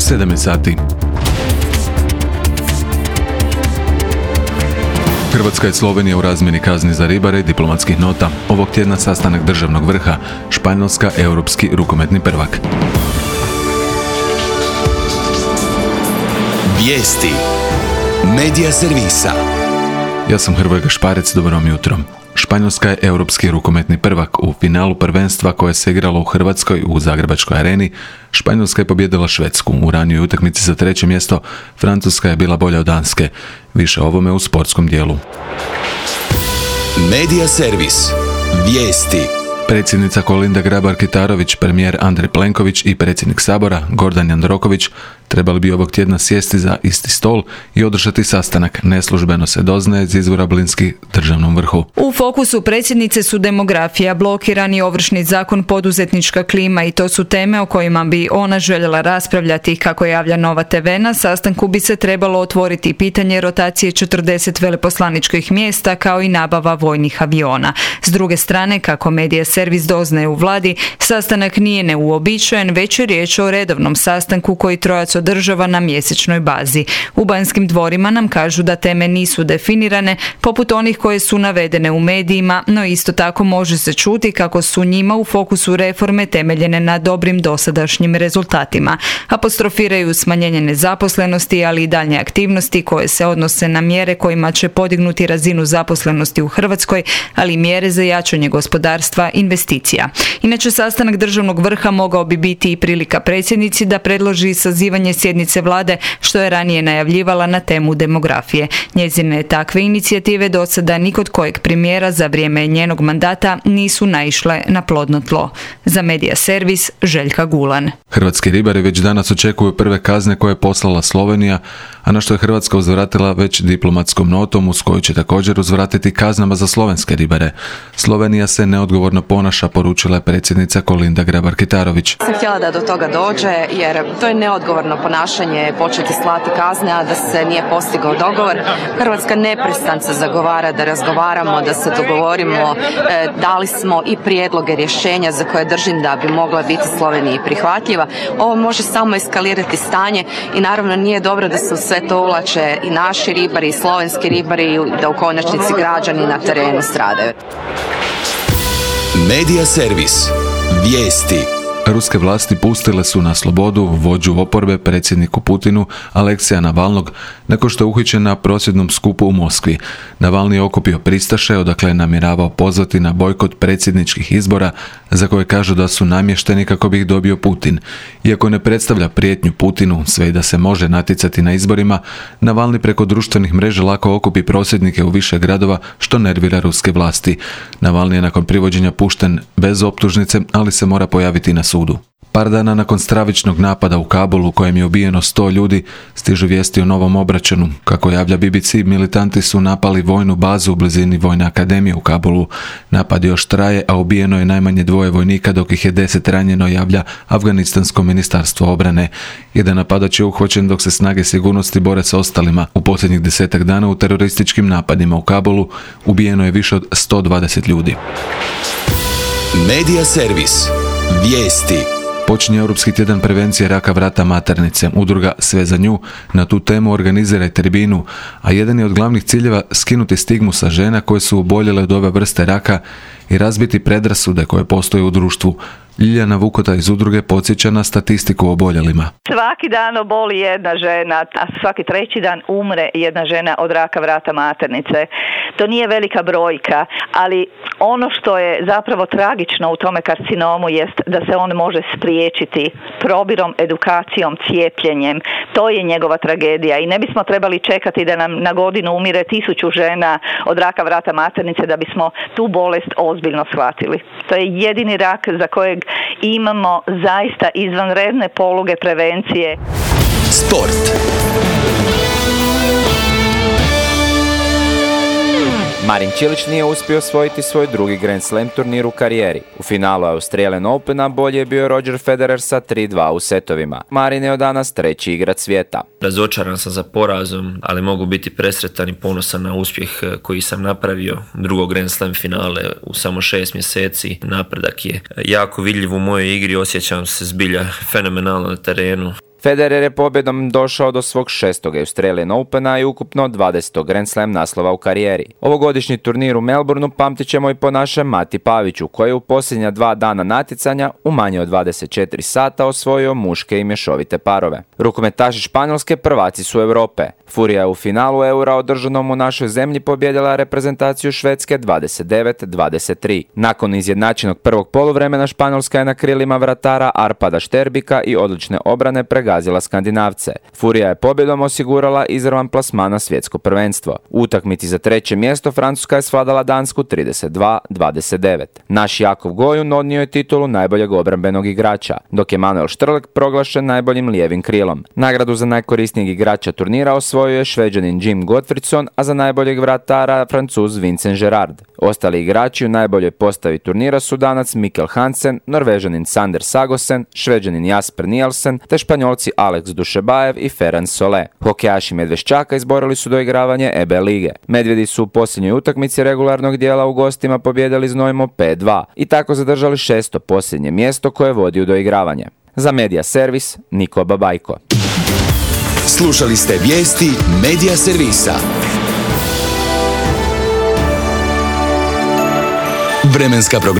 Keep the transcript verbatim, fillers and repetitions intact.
sedam je sati. Hrvatska i Slovenija u razmjeni kazni za ribare i diplomatskih nota. Ovog tjedna sastanak državnog vrha. Španjolska europski rukometni prvak. Vijesti. Medija servisa. Ja sam Hrvoje Gašparec, dobro vam jutro. Španjolska je europski rukometni prvak. U finalu prvenstva koje se igralo u Hrvatskoj u Zagrebačkoj areni, Španjolska je pobijedila Švedsku. U ranijoj utakmici za treće mjesto Francuska je bila bolja od Danske. Više o ovome u sportskom dijelu. Medija servis. Vijesti. Predsjednica Kolinda Grabar-Kitarović, premijer Andrej Plenković i predsjednik Sabora Gordan Jandroković trebali bi ovog tjedna sjesti za isti stol i održati sastanak. Neslužbeno se doznaje iz izvora bliski državnom vrhu. U fokusu predsjednice su demografija, blokirani ovršni zakon, poduzetnička klima i to su teme o kojima bi ona željela raspravljati. Kako javlja Nova te ve, na sastanku bi se trebalo otvoriti pitanje rotacije četrdeset veleposlaničkih mjesta kao i nabava vojnih aviona. S druge strane, kako medija servis doznaje u vladi, sastanak nije neuobičajen, već je riječ o redovnom sastanku koji trojac održava na mjesečnoj bazi. U Banskim dvorima nam kažu da teme nisu definirane, poput onih koje su navedene u medijima, no isto tako može se čuti kako su njima u fokusu reforme temeljene na dobrim dosadašnjim rezultatima. Apostrofiraju smanjenje nezaposlenosti, ali i daljnje aktivnosti koje se odnose na mjere kojima će podignuti razinu zaposlenosti u Hrvatskoj, ali i mjere za jačanje gospodarstva, investicija. Inače, sastanak državnog vrha mogao bi biti i prilika predsjednici da predloži sazivanje sjednice vlade, što je ranije najavljivala na temu demografije. Njezine takve inicijative do sada ni kod kojeg premijera za vrijeme njenog mandata nisu naišle na plodno tlo. Za medija servis Željka Gulan. Hrvatski ribari već danas očekuju prve kazne koje je poslala Slovenija, a na što je Hrvatska uzvratila već diplomatskom notom uz koju će također uzvratiti kaznama za slovenske ribare. Slovenija se neodgovorno ponaša, poručila je predsjednica Kolinda Grabar-Kitarović. Sam htjela da do toga dođe, jer to je neodgovorno ponašanje početi slati kazne, a da se nije postigao dogovor. Hrvatska neprestance zagovara da razgovaramo, da se dogovorimo. E, dali smo i prijedloge rješenja za koje držim da bi mogla biti Sloveniji prihvatljiva. Ovo može samo eskalirati stanje i naravno nije dobro da se u sve to uvlače i naši ribari i slovenski ribari i da u konačnici građani na terenu stradaju. Medija servis. Vijesti. Ruske vlasti pustile su na slobodu vođu oporbe predsjedniku Putinu Aleksija Navalnog nakon što je uhićen na prosvjednom skupu u Moskvi. Navalni je okupio pristaše, odakle je namjeravao pozvati na bojkot predsjedničkih izbora za koje kažu da su namješteni kako bi ih dobio Putin. Iako ne predstavlja prijetnju Putinu, sve i da se može natjecati na izborima, Navalni preko društvenih mreža lako okupi prosvjednike u više gradova, što nervira ruske vlasti. Navalni je nakon privođenja pušten bez optužnice, ali se mora pojaviti na sudu. Par dana nakon stravičnog napada u Kabulu u kojem je ubijeno sto ljudi, stižu vijesti o novom obračunu. Kako javlja be be ce, militanti su napali vojnu bazu u blizini Vojne akademije u Kabulu. Napad još traje, a ubijeno je najmanje dvoje vojnika, dok ih je deset ranjeno, javlja Afganistansko ministarstvo obrane. Jedan napadač je uhvaćen dok se snage sigurnosti bore sa ostalima. U posljednjih desetak dana u terorističkim napadima u Kabulu ubijeno je više od sto dvadeset ljudi. Medija servis. Vijesti. Počinje Europski tjedan prevencije raka vrata maternice. Udruga Sve za nju na tu temu organizira i tribinu, a jedan je od glavnih ciljeva skinuti stigmu sa žena koje su oboljele od ove vrste raka i razbiti predrasude koje postoje u društvu. Ljiljana Vukota iz udruge podsjeća na statistiku o oboljelima. Svaki dan oboli jedna žena, a svaki treći dan umre jedna žena od raka vrata maternice. To nije velika brojka, ali ono što je zapravo tragično u tome karcinomu jest da se on može spriječiti probirom, edukacijom, cijepljenjem. To je njegova tragedija i ne bismo trebali čekati da nam na godinu umire tisuću žena od raka vrata maternice da bismo tu bolest ozbiljno shvatili. To je jedini rak za kojeg imamo zaista izvanredne poluge prevencije. Sport. Marin Čilić nije uspio osvojiti svoj drugi Grand Slam turnir u karijeri. U finalu Australian Opena bolje je bio Roger Federer sa tri dva u setovima. Marin je od danas treći igrač svijeta. Razočaran sam za porazom, ali mogu biti presretan i ponosan na uspjeh koji sam napravio. Drugo Grand Slam finale u samo šest mjeseci. Napredak je jako vidljiv u mojoj igri, osjećam se zbilja fenomenalno na terenu. Federer je pobjedom došao do svog šestog Australian Opena i ukupno dvadesetog Grand Slam naslova u karijeri. Ovogodišnji turnir u Melbourneu pamtit ćemo i po našem Mati Paviću, koji je u posljednja dva dana natjecanja u manje od dvadeset četiri sata osvojio muške i mješovite parove. Rukometaši Španjolske prvaci su Europe. Furija je u finalu Eura održanom u našoj zemlji pobjedila reprezentaciju Švedske dvadeset devet dvadeset tri. Nakon izjednačenog prvog poluvremena Španjolska je na krilima vratara Arpada Šterbika i odlične obrane pregazila Skandinavce. Furija je pobjedom osigurala izravan plasman na svjetsko prvenstvo. U utakmici za treće mjesto Francuska je svladala Dansku trideset dva dvadeset devet. Naš Jakov Gojun odnio je titulu najboljeg obrambenog igrača, dok je Manuel Štrlek proglašen najboljim lijevim krilom. Nagradu za najkorisnijeg igrača turnira osvojio je Šveđanin Jim Gottfriedson, a za najboljeg vratara Francuz Vincent Gerard. Ostali igrači u najboljoj postavi turnira su Danac Mikkel Hansen, Norvežanin Sander Sagosen, Šveđanin Jasper Nielsen te Španjolci Alex Dušebajev i Ferran Solé. Hokejaši Medveščaka izborili su doigravanje E B lige. Medvjedi su u posljednjoj utakmici regularnog dijela u gostima pobijedili Znojmo pet dva i tako zadržali šesto posljednje mjesto koje vodi u doigravanje. Za Medija Servis, Niko Babajko. Slušali ste vijesti Medija Servisa. Vremenska